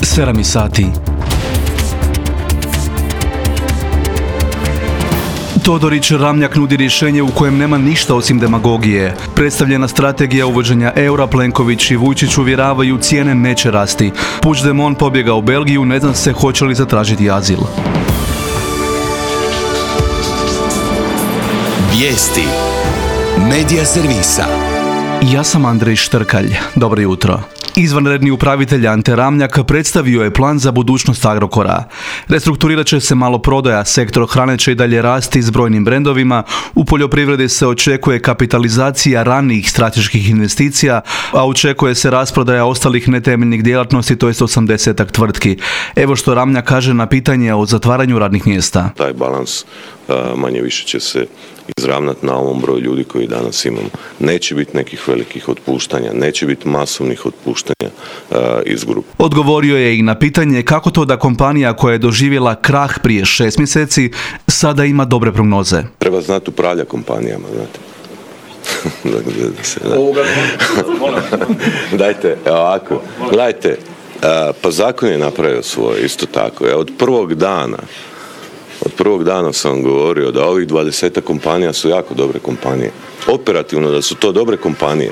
7 sati. Todorić Ramljak nudi rješenje u kojem nema ništa osim demagogije. Predstavljena strategija uvođenja eura, Plenković i Vujčić uvjeravaju cijene neće rasti. Puigdemont pobjega u Belgiju, ne zna se hoće li zatražiti azil. Vijesti Medija servisa. Ja sam Andrej Štrkalj. Dobro jutro. Izvanredni upravitelj Ante Ramljak predstavio je plan za budućnost Agrokora. Restrukturirat će se maloprodaja, sektor hrane će i dalje rasti s brojnim brendovima, u poljoprivredi se očekuje kapitalizacija ranijih strateških investicija, a očekuje se rasprodaja ostalih netemeljnih djelatnosti, to je 80-ak tvrtki. Evo što Ramljak kaže na pitanje o zatvaranju radnih mjesta. Taj balans manje više će se izravnati na ovom broju ljudi koji danas imamo. Neće biti nekih velikih otpuštanja, neće biti masovnih otpuštanja iz grupe. Odgovorio je i na pitanje kako to da kompanija koja je doživjela krah prije 6 mjeseci sada ima dobre prognoze. Treba znati upravlja kompanijama, znate. Dajte, ovako, gledajte, pa zakon je napravio svoje, isto tako. Od prvog dana sam govorio da ovih 20 kompanija su jako dobre kompanije. Operativno da su to dobre kompanije.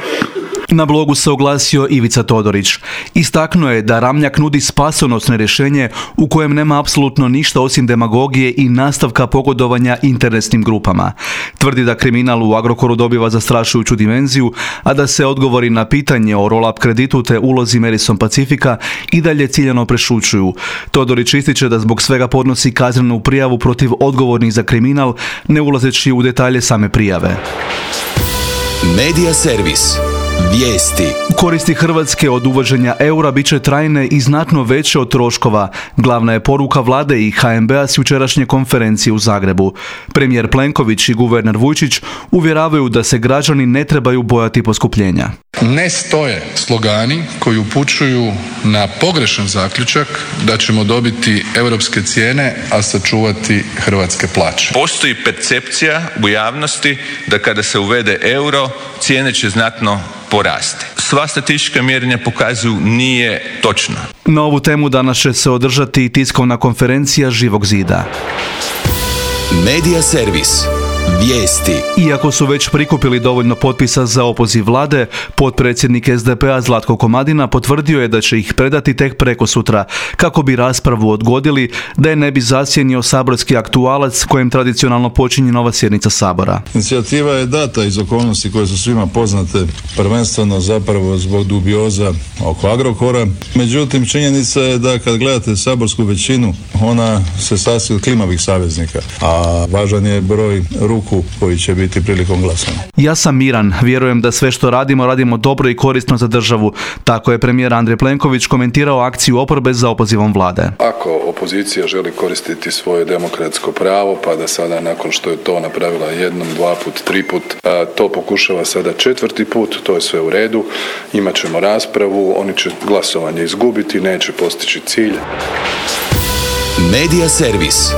Na blogu se oglasio Ivica Todorić. Istaknuo je da Ramljak nudi spasonosno rješenje u kojem nema apsolutno ništa osim demagogije i nastavka pogodovanja interesnim grupama. Tvrdi da kriminal u Agrokoru dobiva zastrašujuću dimenziju, a da se odgovori na pitanje o roll-up kreditu te ulozi Madison Pacifica i dalje ciljano prešućuju. Todorić ističe da zbog svega podnosi kaznenu prijavu protiv odgovornih za kriminal, ne ulazeći u detalje same prijave. Medija servis. Vijesti. Koristi Hrvatske od uvođenja eura bit će trajne i znatno veće od troškova. Glavna je poruka vlade i HNB-a s jučerašnje konferencije u Zagrebu. Premijer Plenković i guverner Vujčić uvjeravaju da se građani ne trebaju bojati poskupljenja. Ne stoje slogani koji upućuju na pogrešan zaključak da ćemo dobiti europske cijene, a sačuvati hrvatske plaće. Postoji percepcija u javnosti da kada se uvede euro, cijene će znatno porasti. Sva statistička mjerenja pokazuju nije točno. Na ovu temu danas će se održati i tiskovna konferencija Živog zida. Medija servis. Vijesti. Iako su već prikupili dovoljno potpisa za opoziv vlade, potpredsjednik SDP-a Zlatko Komadina potvrdio je da će ih predati tek prekosutra, kako bi raspravu odgodili, da je ne bi zasjenio saborski aktualac kojem tradicionalno počinje nova sjednica Sabora. Inicijativa je data iz okolnosti koje su svima poznate, prvenstveno zapravo zbog dubioza oko Agrokora. Međutim, činjenica je da kad gledate saborsku većinu, ona se sastoji od klimavih saveznika, a važan je broj ruku koji će biti prilikom glasanja. Ja sam miran, vjerujem da sve što radimo dobro i korisno za državu. Tako je premijer Andrej Plenković komentirao akciju oporbe za opozivom vlade. Ako opozicija želi koristiti svoje demokratsko pravo, pa da sada nakon što je to napravila jednom, 2 put, 3 put, to pokušava sada 4. put, to je sve u redu. Imat ćemo raspravu, oni će glasovanje izgubiti, neće postići cilj. Medija servis.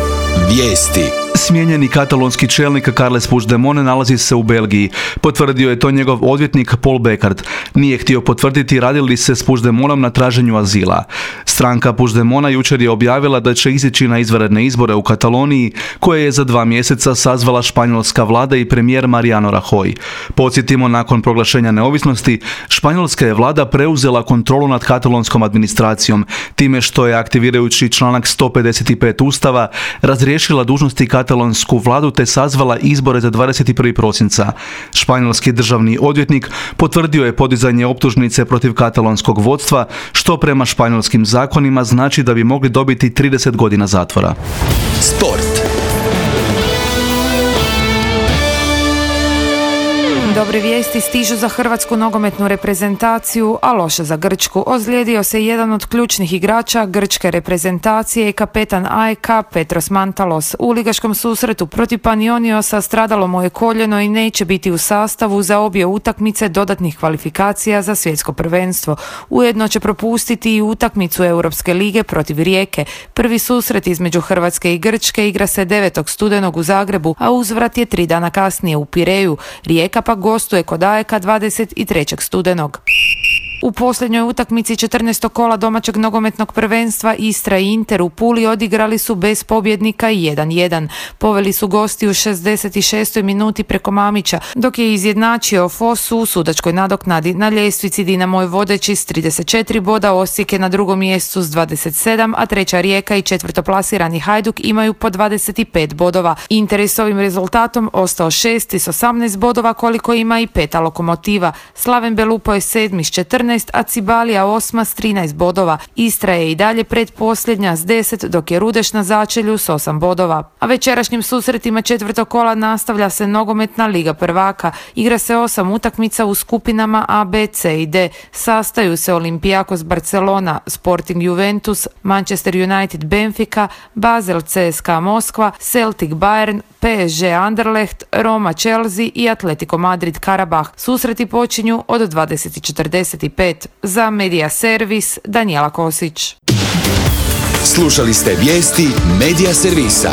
Vijesti. Smijenjeni katalonski čelnik Carles Puigdemont nalazi se u Belgiji. Potvrdio je to njegov odvjetnik Paul Bekart. Nije htio potvrditi radi li se s Puigdemontom na traženju azila. Stranka Puigdemonta jučer je objavila da će izići na izvanredne izbore u Kataloniji, koje je za 2 mjeseca sazvala španjolska vlada i premijer Mariano Rajoy. Podsjetimo, nakon proglašenja neovisnosti, španjolska je vlada preuzela kontrolu nad katalonskom administracijom, time što je, aktivirajući članak 155 Ustava, razriješila dužnosti katalonsku vladu te sazvala izbore za 21. prosinca. Španjolski državni odvjetnik potvrdio je podizanje optužnice protiv katalonskog vodstva, što prema španjolskim zakonima znači da bi mogli dobiti 30 godina zatvora. Sport. Dobre vijesti stižu za hrvatsku nogometnu reprezentaciju, a loše za Grčku. Ozlijedio se jedan od ključnih igrača grčke reprezentacije i kapetan AEK Petros Mantalos. U ligaškom susretu protiv Panioniosa stradalo mu je koljeno i neće biti u sastavu za obje utakmice dodatnih kvalifikacija za svjetsko prvenstvo. Ujedno će propustiti i utakmicu Europske lige protiv Rijeke. Prvi susret između Hrvatske i Grčke igra se 9. studenog u Zagrebu, a uzvrat je 3 dana kasnije u Pireju. Rijeka pa gostuje kod AEK 23. studenog. U posljednjoj utakmici 14. kola domaćeg nogometnog prvenstva Istra i Inter u Puli odigrali su bez pobjednika 1-1. Poveli su gosti u 66. minuti preko Mamića, dok je izjednačio Fosu u sudačkoj nadoknadi. Na ljestvici Dinamo je vodeći s 34 boda, Osijek je na drugom mjestu s 27, a treća Rijeka i četvrtoplasirani Hajduk imaju po 25 bodova. Inter je s ovim rezultatom ostao šesti s 18 bodova, koliko ima i peta Lokomotiva. Slaven Belupo je sedmi s 14, a Cibalija osma s 13 bodova. Istra je i dalje predposljednja s 10, dok je Rudeš na začelju s 8 bodova. A večerašnjim susretima četvrtog kola nastavlja se nogometna Liga prvaka. Igra se 8 utakmica u skupinama A, B, C i D. Sastaju se Olympiakos Barcelona, Sporting Juventus, Manchester United Benfica, Basel CSKA Moskva, Celtic Bayern, PSG Anderlecht, Roma Chelsea i Atletico Madrid Karabah. Susreti počinju od 20:45. Za Medija Servis, Danijela Kosić. Slušali ste vijesti Medija Servisa.